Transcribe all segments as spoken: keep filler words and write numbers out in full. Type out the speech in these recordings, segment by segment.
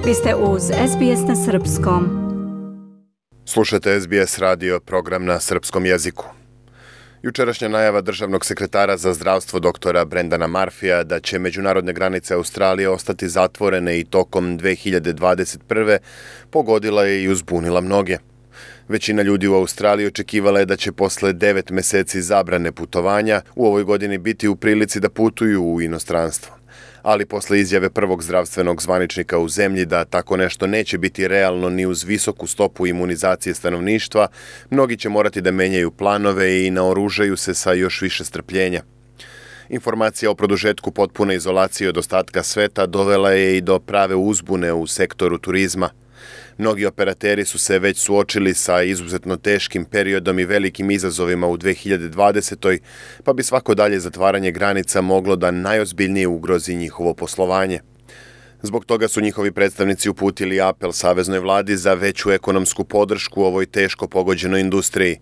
Vi ste uz S B S na srpskom. Slušajte S B S radio, program na srpskom jeziku. Jučerašnja najava državnog sekretara za zdravstvo doktora Brendana Murphyja da će međunarodne granice Australije ostati zatvorene i tokom dve hiljade dvadeset prve. pogodila je i uzbunila mnoge. Većina ljudi u Australiji očekivala je da će posle devet meseci zabrane putovanja u ovoj godini biti u prilici da putuju u inostranstvo. Ali posle izjave prvog zdravstvenog zvaničnika u zemlji da tako nešto neće biti realno ni uz visoku stopu imunizacije stanovništva, mnogi će morati da menjaju planove i naoružaju se sa još više strpljenja. Informacija o produžetku potpune izolacije od ostatka sveta dovela je i do prave uzbune u sektoru turizma. Mnogi operateri su se već suočili sa izuzetno teškim periodom i velikim izazovima u dve hiljade dvadesetoj. pa bi svako dalje zatvaranje granica moglo da najozbiljnije ugrozi njihovo poslovanje. Zbog toga su njihovi predstavnici uputili apel saveznoj vladi za veću ekonomsku podršku ovoj teško pogođenoj industriji.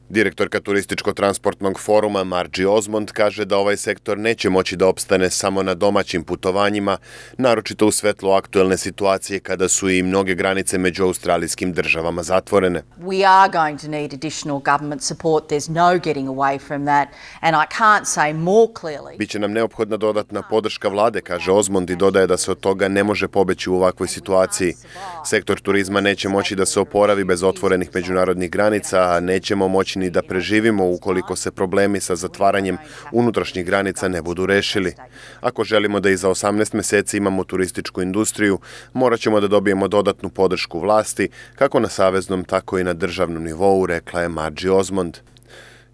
Direktorka Turističko-transportnog foruma Margie Osmond kaže da ovaj sektor neće moći da opstane samo na domaćim putovanjima, naročito u svetlu aktuelne situacije kada su i mnoge granice među australijskim državama zatvorene. We are going to need additional government support. There's no getting away from that, and I can't say more clearly. Biće nam neophodna dodatna podrška vlade, kaže Osmond i dodaje da se od toga ne može pobeći u ovakvoj situaciji. Sektor turizma neće moći da se oporavi bez otvorenih međunarodnih granica, a nećemo moći ni da preživimo ukoliko se problemi sa zatvaranjem unutrašnjih granica ne budu rešili. Ako želimo da i za osamnaest meseci imamo turističku industriju, morat ćemo da dobijemo dodatnu podršku vlasti, kako na saveznom, tako i na državnom nivou, rekla je Margie Osmond.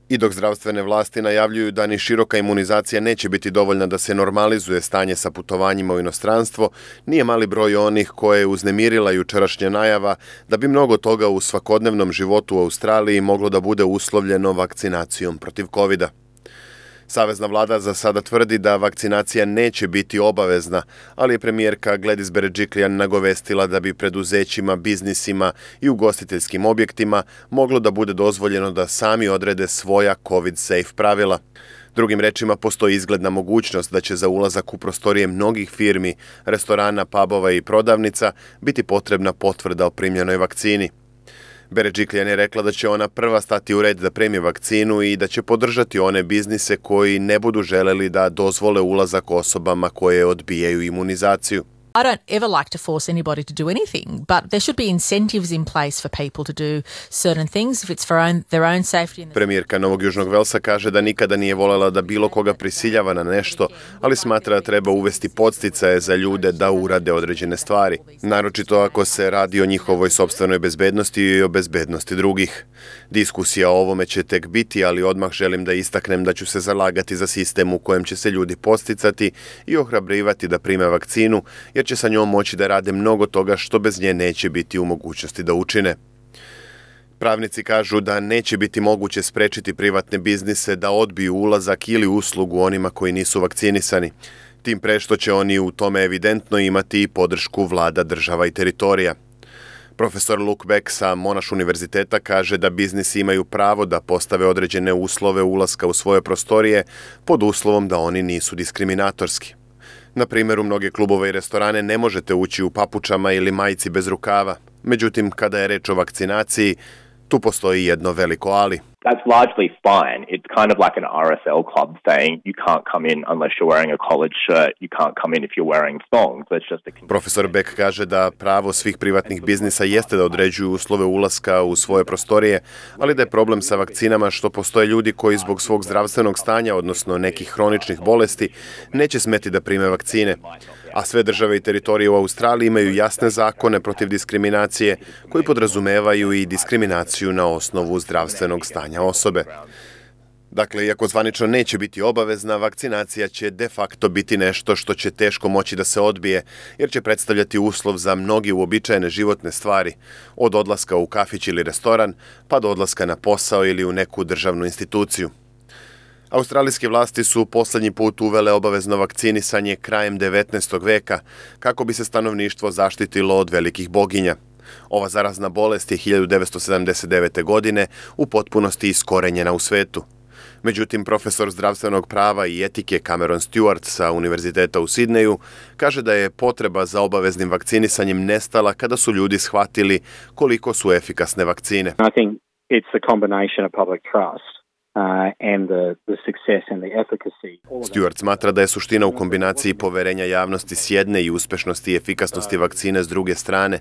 I dok zdravstvene vlasti najavljuju da ni široka imunizacija neće biti dovoljna da se normalizuje stanje sa putovanjima u inostranstvo, nije mali broj onih koje je uznemirila jučerašnja najava da bi mnogo toga u svakodnevnom životu u Australiji moglo da bude uslovljeno vakcinacijom protiv kovida. Savezna vlada za sada tvrdi da vakcinacija neće biti obavezna, ali je premijerka Gladys Berejiklian nagovestila da bi preduzećima, biznisima i ugostiteljskim objektima moglo da bude dozvoljeno da sami odrede svoja COVID-safe pravila. Drugim rečima, postoji izgledna mogućnost da će za ulazak u prostorije mnogih firmi, restorana, pubova i prodavnica biti potrebna potvrda o primljenoj vakcini. Berejiklian je rekla da će ona prva stati u red da primi vakcinu i da će podržati one biznise koji ne budu želeli da dozvole ulazak osobama koje odbijaju imunizaciju. I don't ever like to force anybody to do anything, but there should be incentives in place for people to do certain things if it's for own, their own safety. Premijerka Novog Južnog Velsa kaže da nikada nije voljela da bilo koga prisiljava na nešto, ali smatra da treba uvesti podsticaje za ljude da urade određene stvari, naročito ako se radi o njihovoj sopstvenoj bezbednosti i o bezbednosti drugih. Diskusija o ovome će tek biti, ali odmah želim da istaknem da ću se zalagati za sistem u kojem će se ljudi podsticati i ohrabrivati da prime vakcinu, jer će sa njom moći da rade mnogo toga što bez nje neće biti u mogućnosti da učine. Pravnici kažu da neće biti moguće sprečiti privatne biznise da odbiju ulazak ili uslugu onima koji nisu vakcinisani. Tim pre što će oni u tome evidentno imati i podršku vlada, država i teritorija. Profesor Luke Beck sa Monash univerziteta kaže da biznisi imaju pravo da postave određene uslove ulaska u svoje prostorije pod uslovom da oni nisu diskriminatorski. Na primjer, u mnoge klubove i restorane ne možete ući u papučama ili majici bez rukava. Međutim, kada je reč o vakcinaciji, tu postoji jedno veliko ali. That's largely fine. It's kind of like an R S L club saying you can't come in unless you're wearing a collared shirt, you can't come in if you're wearing thongs. That's just a Profesor Beck kaže da pravo svih privatnih biznisa jeste da određuju uslove ulaska u svoje prostorije, ali da je problem sa vakcinama što postoje ljudi koji zbog svog zdravstvenog stanja, odnosno nekih hroničnih bolesti, neće smeti da prime vakcine. A sve države i teritorije u Australiji imaju jasne zakone protiv diskriminacije koji podrazumevaju i diskriminaciju na osnovu zdravstvenog stanja osobe. Dakle, iako zvanično neće biti obavezna, vakcinacija će de facto biti nešto što će teško moći da se odbije, jer će predstavljati uslov za mnogi uobičajene životne stvari, od odlaska u kafić ili restoran, pa do odlaska na posao ili u neku državnu instituciju. Australijske vlasti su poslednji put uvele obavezno vakcinisanje krajem devetnaestog veka, kako bi se stanovništvo zaštitilo od velikih boginja. Ova zarazna bolest je hiljadu devetsto sedamdeset devete. godine u potpunosti iskorenjena u svetu. Međutim, profesor zdravstvenog prava i etike Cameron Stewart sa Univerziteta u Sidneju kaže da je potreba za obaveznim vakcinisanjem nestala kada su ljudi shvatili koliko su efikasne vakcine. I think it's the combination of public trust uh, and the, the success and the efficacy. Stewart smatra da je suština u kombinaciji poverenja javnosti s jedne i uspešnosti i efikasnosti vakcine s druge strane.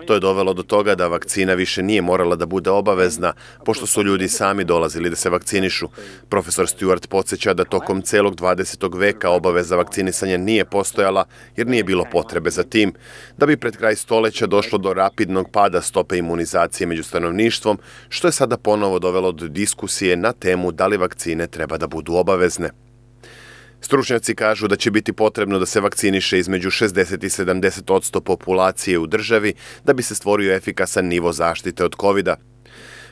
To je dovelo do toga da vakcina više nije morala da bude obavezna, pošto su ljudi sami dolazili da se vakcinišu. Profesor Stewart podsjeća da tokom celog dvadesetog veka obaveza vakcinisanja nije postojala jer nije bilo potrebe za tim, da bi pred kraj stoleća došlo do rapidnog pada stope imunizacije među stanovništvom, što je sada ponovo dovelo do diskusije na temu da li vakcine treba da budu obavezne. Stručnjaci kažu da će biti potrebno da se vakciniše između šezdeset i sedamdeset odsto populacije u državi da bi se stvorio efikasan nivo zaštite od kovida.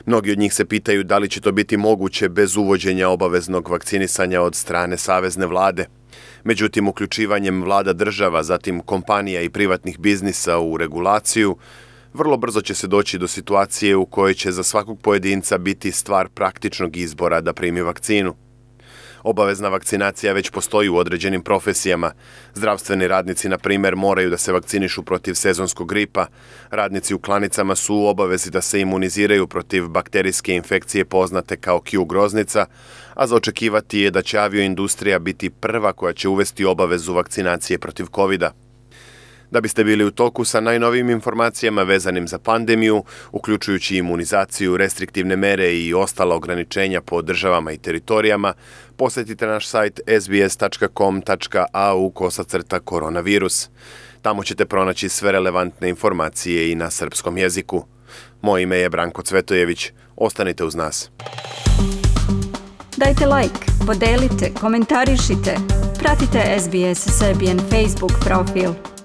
Mnogi od njih se pitaju da li će to biti moguće bez uvođenja obaveznog vakcinisanja od strane savezne vlade. Međutim, uključivanjem vlada država, zatim kompanija i privatnih biznisa u regulaciju, vrlo brzo će se doći do situacije u kojoj će za svakog pojedinca biti stvar praktičnog izbora da primi vakcinu. Obavezna vakcinacija već postoji u određenim profesijama. Zdravstveni radnici, na primjer, moraju da se vakcinišu protiv sezonskog gripa. Radnici u klanicama su u obavezi da se imuniziraju protiv bakterijske infekcije poznate kao Q groznica, a za očekivati je da će avioindustrija biti prva koja će uvesti obavezu vakcinacije protiv kovida. Da biste bili u toku sa najnovijim informacijama vezanim za pandemiju, uključujući imunizaciju, restriktivne mere i ostala ograničenja po državama i teritorijama, posjetite naš sajt s b s tačka com tačka a u kosacrta koronavirus. Tamo ćete pronaći sve relevantne informacije i na srpskom jeziku. Moje ime je Branko Cvetojević. Ostanite uz nas. Dajte like, podelite, komentarišite. Pratite S B S Serbian Facebook profil.